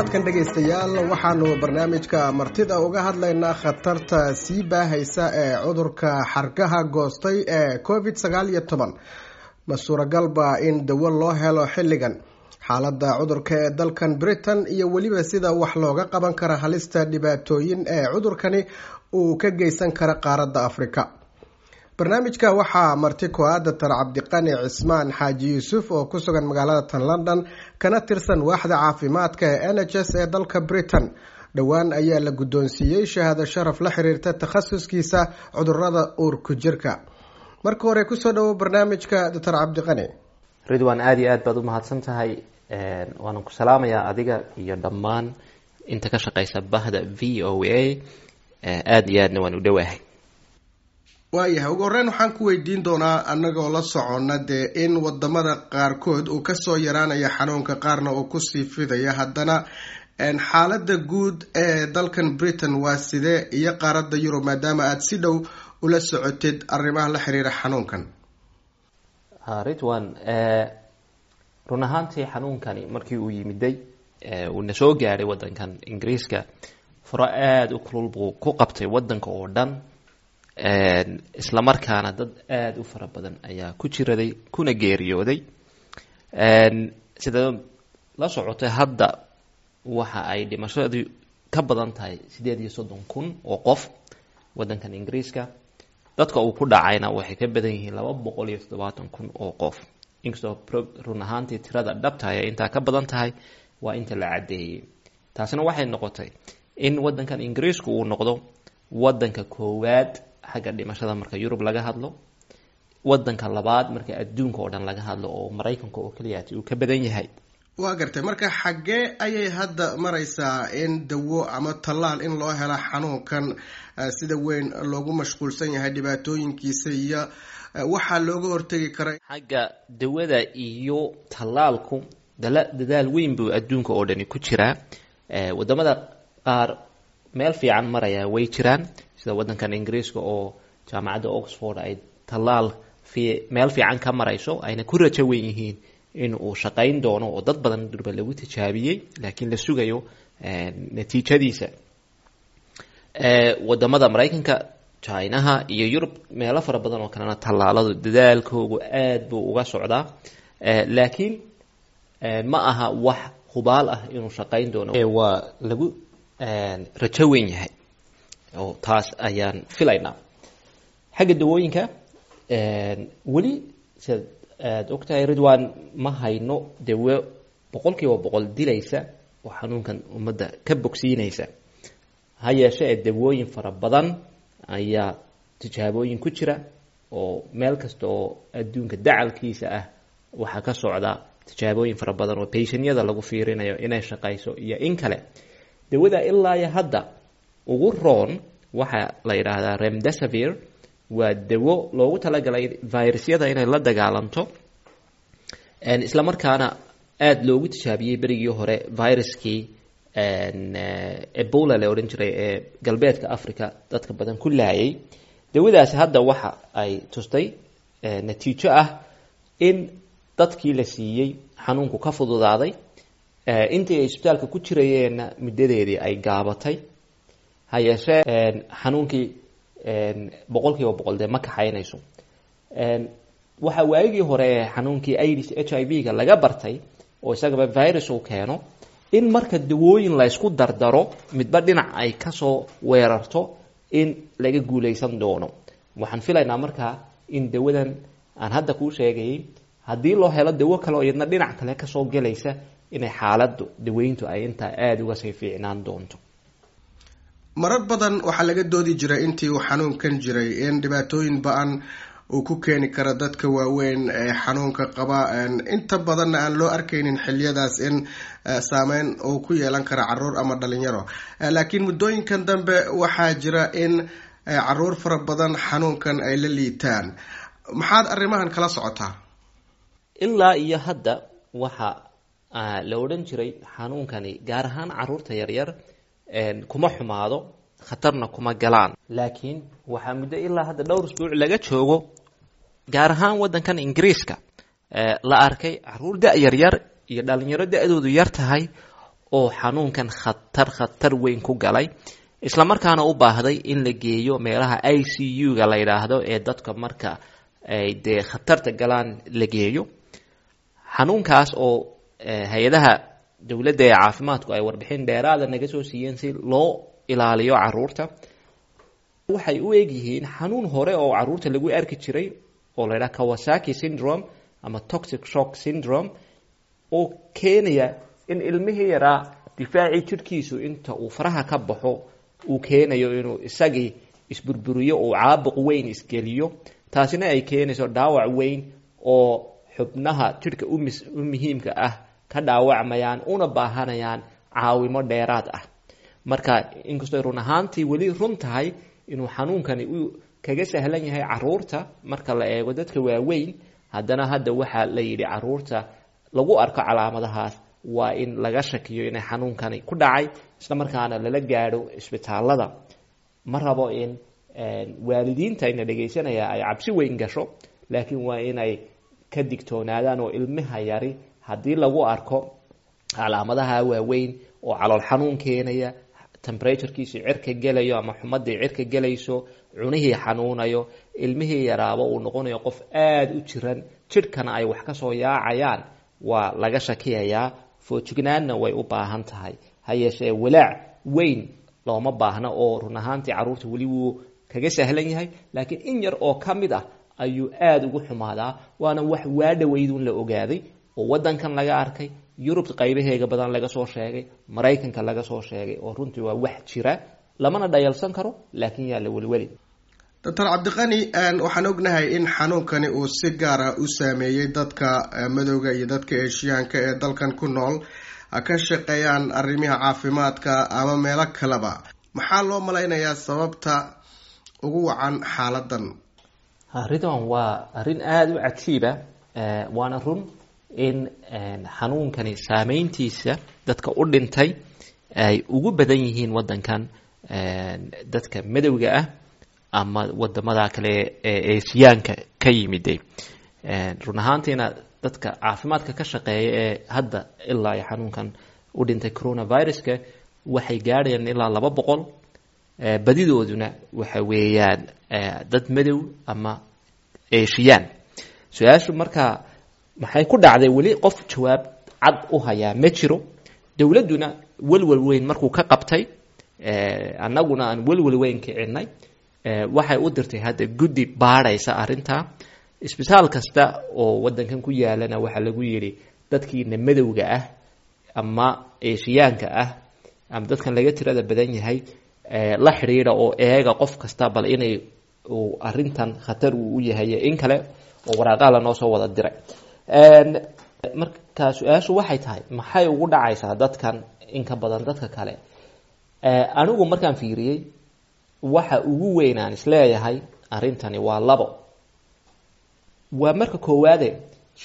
Toddobaadkan, dhegaystayaal, waxaanu barnaamijka martida uga hadlaynaa khatarta sii baahaysa ee cudurka xargaha goostay ee COVID-19. Ma suuragalba in dawo loo helo xilligan? Xaaladda cudurka ee dalkan Britain iyo weliba sida wax looga qaban kara halista dhibaatooyin ee cudurkani uu ka geysan kara qaaradda Afrika. Barnaamijka waxaa marti ku-a Doctor Cabdiqani Cismaan Xaaji Yuusuf oo ku sugan magaalada tan London, kana tirsan waaxda caafimaadka ee NHS ee dalka Britain. Dhowaan ayaa la guddoonsiiyey shahaado sharaf la xiriirta takhasuskiisa cudurada uurku jirka. Marka hore, kusoo dhawo barnaamijka, Doctor Cabdiqani. Ridwan, aada iyo aad baad u mahadsan tahay. Waanan ku salaamayaa adiga iyo dhammaan inta ka shaqeysa bahda VOA. Aada iyo aadna waan u dhowahay. Waayahay, ugu horreyn waxaan ku weydiin doonaa, annagoo la soconna dee in wadamada qaarkood uu kasoo yaraanaya xanuunka, qaarna uu kusii fidaya, haddana xaaladda guud ee dalkan Britain waa sidee iyo qaaradda Yurub, maadaama aada si dhow ula socotid arrimaha la xiriira xanuunkan? Ridwan, run ahaantii xanuunkani markii uu yimiday, uuna soo gaadhay waddankan Ingiriiska, furo aada u kulul buu ku qabtay waddanka oo dhan, isla markaana dad aada u fara badan ayaa ku jiraday kuna geeriyooday. Sida la socotay, hadda waxa ay dhimashadu ka badan tahay 38,000 oo qof waddankan Ingiriiska. Dadka uu ku dhacayna waxay ka badan yihiin 270,000 oo qof, inkastoo run ahaantii tirada dhabtahay ay intaa ka badan tahay, waa inta la caddeeyey. Taasina waxay noqotay in waddankan Ingiriisku uu noqdo waddanka koowaad xagga dhimashada marka Yurub laga hadlo, waddanka labaad marka adduunka oo dhan laga hadlo, oo Maraykanka oo keliyaati uu ka badan yahay. Waa gartay. Marka xaggee ayay hadda mareysaa in dawo ama tallaal in loo helo xanuunkan sida weyn loogu mashquulsan yahay dhibaatooyinkiisa iyo waxaa looga hortegi kara? Xagga dawada iyo tallaalku dadaal weyn buu adduunka oo dhani ku jiraa. Wadamada qaar meel fiican maraya way jiraan, sida waddankan Ingiriiska oo jaamacadda Oxford ay tallaal meel fiican ka marayso, ayna ku rajo weyn yihiin in uu shaqayn doono, oo dad badan durba lagu tijaabiyey, laakiin la sugayo natiijadiisa. Wadamada Maraykanka, Chinaha iyo Yurub, meelo fara badan oo kalena tallaaladu dadaalkoogu aad buu uga socdaa, laakiin ma aha wax hubaal ah inuu shaqayn doono. Waa lagu rajo weyn yahay oo taas ayaan filaynaa. Xagga dawooyinka, weli sidaad aada ogtahay, Ridwan, ma hayno dawo 100% dilaysa oo xanuunkan ummadda ka bogsiinaysa. Ha yeeshee ee dawooyin fara badan ayaa tijaabooyin ku jira, oo meel kasta oo adduunka dacalkiisa ah waxaa ka socda tijaabooyin fara badan oo patientyada lagu fiirinayo inay shaqayso iyo in kale. Dawada ilaa iyo hadda ugu roon waxaa la yidhaahdaa remdesivir. Waa dawo loogu talagalay virusyada inay la dagaalanto, isla markaana aada loogu tijaabiyey berigii hore viruskii Ebola la odhan jiray ee galbeedka Africa dadka badan ku laayay. Dawadaasi hadda waxa ay tustay natiijo ah in dadkii la siiyey xanuunku ka fududaaday, intii ay isbitaalka ku jirayeenna muddadeedii ay gaabatay. Ha yeeshee xanuunkii 100% dee ma kaxaynayso. Waxaa waagii hore ee xanuunkii AIDS, HIV-ga laga bartay, oo isagaba virus uu keeno, in marka dawooyin la ysku dardaro, midba dhinac ay kasoo weerarto, in laga guuleysan doono. Waxaan filaynaa markaa in dawadan aan hadda kuu sheegayay, haddii loo helo dawo kale oo iyadna dhinac kale kasoo gelaysa, inay xaaladdu daweyntu ay intaa aada uga sii fiicnaan doonto. Marar badan waxaa laga doodi jiray intii uu xanuunkan jiray in dhibaatooyin ba-an uu ku keeni karo dadka waaweyn ee xanuunka qaba, inta badanna aan loo arkaynin xiliyadaas in saameyn uu ku yeelan karo caruur ama dhalinyaro. Laakiin muddooyinkan dambe waxaa jira in caruur fara badan xanuunkan ay la liitaan. Maxaad arrimahan kala socotaa? Ilaa iyo hadda waxa la odhan jiray xanuunkani gaar ahaan caruurta yaryar kuma xumaado, khatarna kuma galaan. Laakiin waxaa muddo ilaa hadda dhowr usbuuc laga joogo, gaar ahaan waddankan Ingiriiska, la arkay caruur da' yaryar iyo dhalinyaro da-doodu yar tahay. oo xanuunkan khatar khatar weyn ku galay, isla markaana u baahday in la geeyo meelaha ICU-ga la yidhaahdo ee dadka marka ay dee khatarta galaan la geeyo. Xanuunkaas oo hay-adaha dowladda ee caafimaadku ay warbixin dheeraada naga soo siiyeen si loo ilaaliyo caruurta, waxay u egyihiin xanuun hore oo caruurta lagu arki jiray oo la yidhaha Kawasaki syndrome ama toxic shock syndrome, oo keenaya in ilmihii yaraa difaacii jidhkiisu inta uu faraha ka baxo uu keenayo inuu isagii isburburiyo, uu caabuq weyn isgeliyo, taasina ay keenayso dhaawac weyn oo xubnaha jidhka u muhiimka ah ka dhaawacmayaan una baahanayaan caawimo dheeraad ah. Marka inkastoo run ahaantii weli run tahay inuu xanuunkani u kaga sahlan yahay caruurta marka la eego dadka waaweyn, haddana hadda waxaa la yidhi caruurta lagu arko calaamadahaas waa in laga shakiyo inay xanuunkani ku dhacay, isla markaana lala gaadho isbitaalada. Ma rabo in waalidiinta ina dhegaysanaya ay cabsi weyn gasho, laakiin waa inay ka digtoonaadaan oo ilmaha yari haddii lagu arko calaamadaha waaweyn oo calool xanuun keenaya, temperaturekiisii cirka gelayo ama xumadii cirka gelayso, cunihii xanuunayo, ilmihii yaraaba uu noqonayo qof aada u jiran, jidhkana ay wax kasoo yaacayaan, waa laga shakiyayaa, foojignaanna way u baahan tahay. Ha yeeshee walaac weyn looma baahna oo run ahaantii carruurta weli wuu kaga sahlan yahay, laakiin in yar oo ka mid ah ayuu aada ugu xumaadaa, waana wax waadhaweydun la ogaaday oo waddankan laga arkay, Yurub qaybaheega badan laga soo sheegay, Maraykanka laga soo sheegay, oo runtii waa wax jira lamana dhayalsan karo, laakiin yaa la welweli. Doctor Cabdiqani, waxaan ognahay in xanuunkani uu si gaara u saameeyey dadka madowga iyo dadka Eeshiyaanka ee dalkan ku nool, ka shaqeeyaan arrimaha caafimaadka ama meelo kaleba. Maxaa loo malaynayaa sababta ugu wacan xaaladan? Ridwan, waa arrin aada u cajiiba, waana run in xanuunkani saameyntiisa dadka u dhintay ay ugu badan yihiin waddankan dadka madowga ah ama wadamada kale ee Eeshiyaanka ka yimiday. Run ahaantiina dadka caafimaadka ka shaqeeya ee hadda ilaa iyo xanuunkan u dhintay coronaviruska waxay gaadhayaan ilaa 200, badidooduna waxa weeyaan dad madow ama Eeshiyaan. Su-aashu markaa maxay ku dhacday, weli qof jawaab cad u hayaa ma jiro. Dowladduna welwel weyn markuu ka qabtay, annaguna aan welwel weyn kicinay, waxay u dirtay hadda guddi baadhaysa arrintaa. Isbitaal kasta oo waddankan ku yaalana waxaa lagu yidhi dadkiina madowga ah ama Eeshiyaanka ah ama dadkan laga tirada badan yahay la xidhiidha oo eega qof kasta bal inay uu arrintan khatar uu u yahay in kale, oo waraaqaha lanoo soo wada diray. Marka su-aashu waxay tahay maxay ugu dhacaysaa dadkan in ka badan dadka kale? Anigu markaan fiiriyey waxa ugu weyn aan isleeyahay arrintani waa labo. Waa marka koowaade,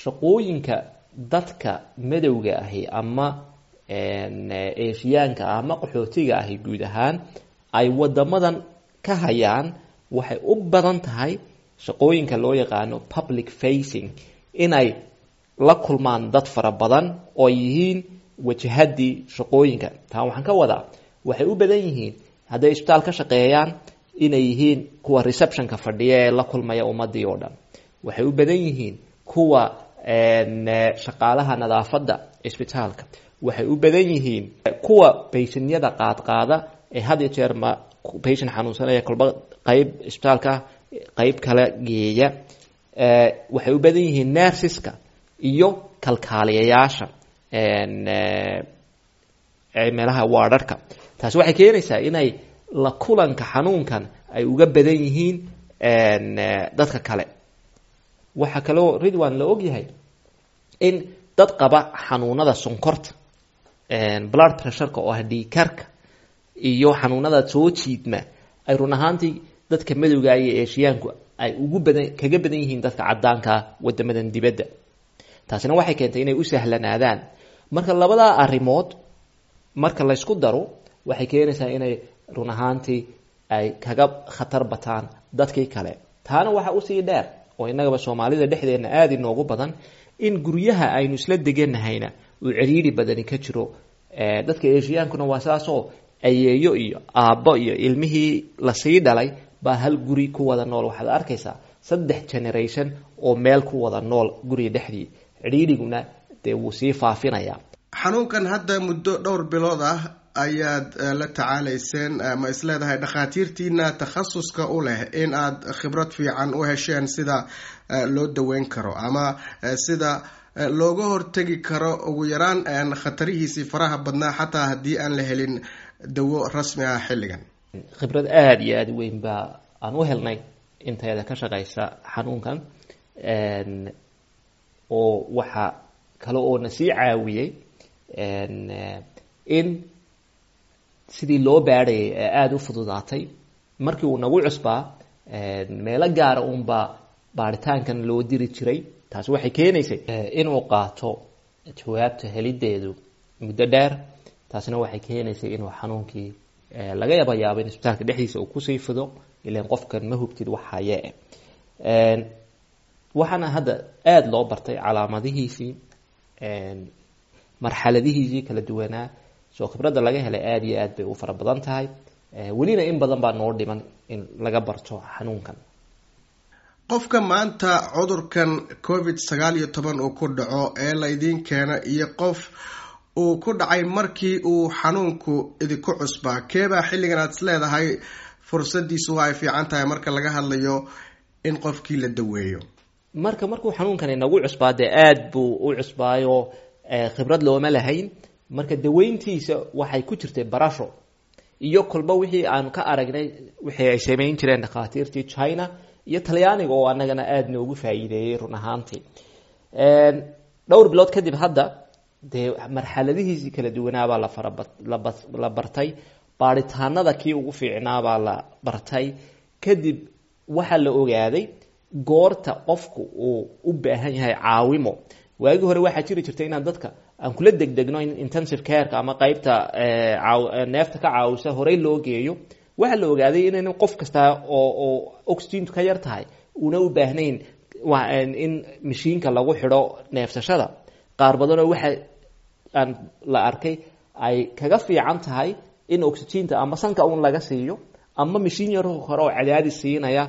shaqooyinka dadka madowga ahi ama Eeshiyaanka ama qaxootiga ahi guud ahaan ay wadamadan ka hayaan waxay u badan tahay shaqooyinka loo yaqaano public facing, inay la kulmaan dad fara badan oo yihiin wajahadii shaqooyinka. Taa waxaan ka wadaa waxay u badan yihiin hadday isbitaal ka shaqeeyaan inay yihiin kuwa receptionka fadhiya ee la kulmaya ummadii oo dhan, waxay u badan yihiin kuwa shaqaalaha nadaafadda isbitaalka, waxay u badan yihiin kuwa patientyada qaadqaada ee had iyo jeer ma patient xanuunsanaya kolba qayb isbitaalka qayb kale geeya, waxay u badan yihiin nurseska iyo kalkaaliyayaasha meelaha waararka. Taasi waxay keenaysaa inay la kulanka xanuunkan ay uga badan yihiin dadka kale. Waxaa kaloo, Ridwan, la ogyahay in dad qaba xanuunada sonkorta, blood pressureka oo ah dhiigkarka, iyo xanuunada soo jiidma ay run ahaantii dadka madowga iyo Eeshiyaanku ay ugu badan kaga badan yihiin dadka caddaanka wadamadan dibadda. Taasina waxay keentay inay u sahlanaadaan. Marka labadaa arrimood marka laysku daro waxay keenaysaa inay run ahaantii ay kaga khatar bataan dadkii kale. Taana waxaa usii dheer oo innagaba Soomaalida dhexdeenna aada inoogu badan in guryaha aynu isla deganahayna uu ciriiri badani ka jiro. Dadka Asiaankuna waa saasoo ayeeyo iyo aabbo iyo ilmihii lasii dhalay baa hal guri ku wada nool. Waxaad arkaysaa 3 generation oo meel ku wada nool guriga dhexdii, cidhiidhiguna dee wuu sii faafinayaa. Xanuunkan hadda muddo dhowr bilood ah ayaad la tacaalayseen, ma isleedahay dhakhaatiirtiina takhasuska u leh in aad khibrad fiican u hesheen sida loo daweyn karo ama sida looga hortegi karo ugu yaraan khatarihiisii faraha badnaa, xataa haddii aan la helin dawo rasmi ah xilligan? Khibrad aada iyo aada weyn baa aan u helnay intayada ka shaqeysa xanuunkan, oo waxaa kale oo na sii caawiyey in sidii loo baadhayay ee aada u fududaatay. Markii uu nagu cusbaa meelo gaara uunbaa baaritaankan loo diri jiray, taasi waxay keenaysay inuu qaato jawaabta helideedu muddo dheer, taasina waxay keenaysay inuu xanuunkii laga yaba yaabo in isbitaalka dhexdiisa uu kusii fido, ilan qofkan ma hubtid wax haye. Waxaana hadda aada loo bartay calaamadihiisii, marxaladihiisii kala duwanaa. Soo khibradda laga helay aada iyo aad bay u fara badan tahay, welina in badan baa noo dhiman in laga barto xanuunkan. Qofka maanta cudurkan COVID-19 uu ku dhaco ee laydiin keena iyo qof uu ku dhacay markii uu xanuunku idinku cusbaa, keebaa xilligan aad is leedahay fursadiisu waa ay fiican tahay marka laga hadlayo in qofkii la daweeyo? Marka markuu xanuunkani nagu cusbaa dee aada buu u cusbaayo, khibrad looma lahayn. Marka daweyntiisa waxay ku jirtay barasho iyo kolba wixii aan ka aragnay wixii ay samayn jireen dhakhaatiirtii China iyo Talyaaniga oo annagana aada noogu faa'iideeyey run ahaantii. Dhowr bilood kadib hadda dee marxaladihiisii kala duwanaabaa la faraba la bartay, baaritaanada kii ugu fiicnaabaa la bartay. Kadib waxaa la ogaaday goorta qofku uu u baahan yahay caawimo. Waagii hore waxaa jiri jirtay inaan dadka aan kula degdegno in intensive careka ama qeybta neefta ka caawisa horey loo geeyo. Waxaa la ogaaday inaynan qof kasta oo oxygentu ka yar tahay una u baahnayn in mashiinka lagu xidho neefsashada. Qaar badanoo waxa aan la arkay ay kaga fiican tahay in oxygenta ama sanka un laga siiyo ama mashiin yar hore oo cadaadis siinaya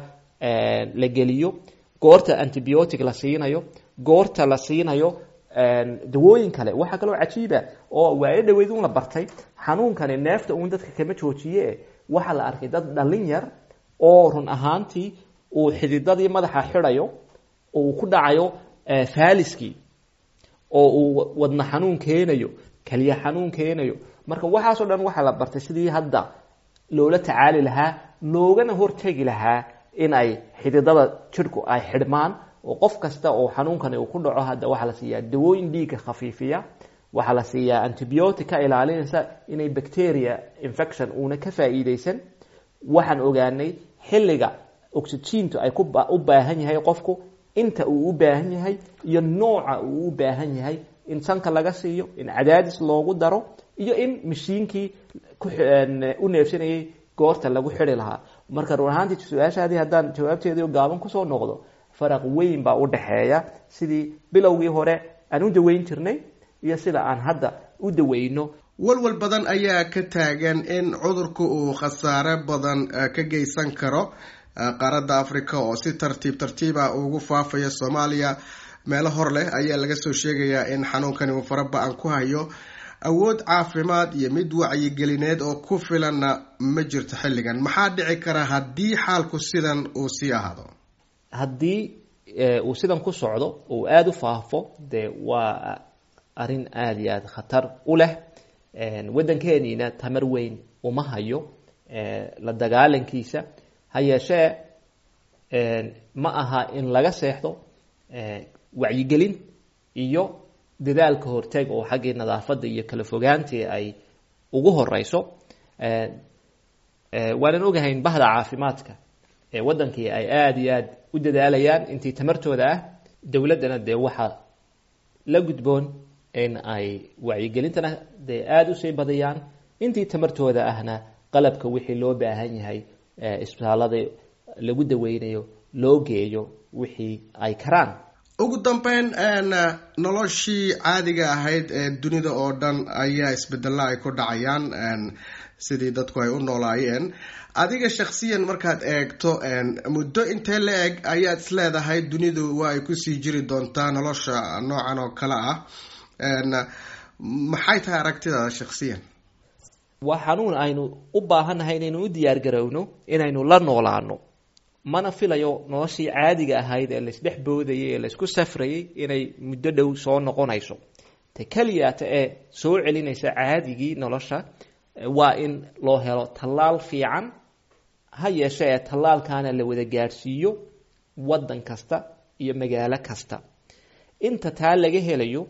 la geliyo, goorta antibiotic la siinayo, goorta la siinayo dawooyin kale. Waxaa kaloo cajiiba oo waayo dhaweyd un la bartay, xanuunkani neefta uun dadka kama joojiye. Waxaa la arkay dad dhalin yar oo run ahaantii uu xididadii madaxa xidhayo, uu ku dhacayo faaliskii, oo uu wadna xanuun keenayo, keliya xanuun keenayo. Marka waxaasoo dhan waxaa la bartay sidii hadda loola tacaali lahaa, loogana hortegi lahaa in ay xididada jidhku ay xidhmaan. Oo qof kasta oo xanuunkani uu ku dhaco hadda waxaa la siiyaa dawooyin dhiigga khafiifiya, waxaa la siiyaa antibiotic ka ilaalinaysa inay bacteria infection uuna ka faa'iideysan. Waxaan ogaanay xilliga oxygentu ay ku u baahan yahay qofku, inta uu u baahan yahay iyo nooca uu u baahan yahay, in sanka laga siiyo, in cadaadis loogu daro iyo in mashiinkii u neefsanayay goorta lagu xidhi lahaa. Marka run ahaantii su-aashaadii haddaan jawaabteedii gaaban kusoo noqdo, faraq weyn baa u dhexeeya sidii bilowgii hore aan u daweyn jirnay iyo sida aan hadda u daweyno. Walwal badan ayaa ka taagan in cudurku uu khasaare badan ka geysan karo qaaradda Africa oo si tartiib tartiiba ugu faafaya Soomaaliya. Meelo hor leh ayaa laga soo sheegayaa in xanuunkani uu fara-ba-an ku hayo, awood caafimaad iyo mid wacyigelineed oo ku filanna ma jirto xilligan. Maxaa dhici kara haddii xaalku sidan uu sii ahaado? Haddii uu sidan ku socdo uu aada u faafo, dee waa arrin aada iyo aada khatar u leh. Waddankeeniina tamar weyn uma hayo la dagaalankiisa. Ha yeeshee ma aha in laga seexdo wacyigelin iyo dadaalka horteg oo xaggii nadaafadda iyo kala fogaantii ay ugu horeyso. Waanan ogahayn bahda caafimaadka ee waddankii ay aada iyo aada u dadaalayaan intii tamartooda ah. Dowladdana dee waxaa la gudboon in ay wacyigelintana dee aada usii badiyaan, intii tamartooda ahna qalabka wixii loo baahan yahay isbitaalada lagu daweynayo loo geeyo wixii ay karaan. Ugu dambeyn, noloshii caadiga ahayd ee dunida oo dhan ayaa isbedella ay ku dhacayaan sidii dadku ay u noolaayeen. Adiga shaksiyan markaad eegto, muddo intee la eg ayaad isleedahay dunidu waa ay kusii jiri doontaa nolosha noocan oo kale ah? Maxay tahay aragtidaada shaksiyan? Waa xanuun aynu u baahannahay inaynu u diyaar garowno inaynu la noolaano. Mana filayo noloshii caadiga ahayd ee laisdhex boodayay ee laisku safrayay inay muddo dhow soo noqonayso. Ta keliyata ee soo celinaysa caadigii nolosha waa in loo helo tallaal fiican, ha yeeshe ee tallaalkaana la wada gaadhsiiyo waddan kasta iyo magaalo kasta. Inta taa laga helayo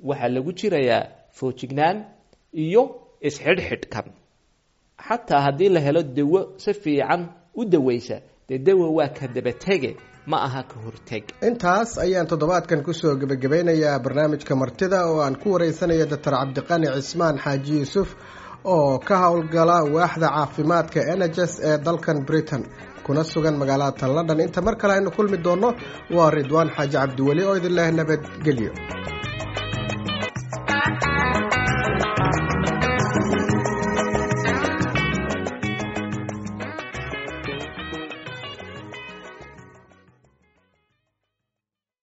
waxaa lagu jirayaa foojignaan iyo isxidhxidhkan. Xataa haddii la helo dawo si fiican u daweysa, dee dawa waa ka dabatege, ma aha ka horteg. Intaas ayaan toddobaadkan kusoo gebagabeynayaa barnaamijka martida oo aan ku wareysanaya Doctor Cabdiqani Cismaan Xaaji Yuusuf oo ka howlgala waaxda caafimaadka NHS ee dalkan Britain, kuna sugan magaalada tan London. Inta mar kale aynu kulmi doonno, waa Ridwaan Xaaji Cabdiweli oo idin leh nabadgelyo.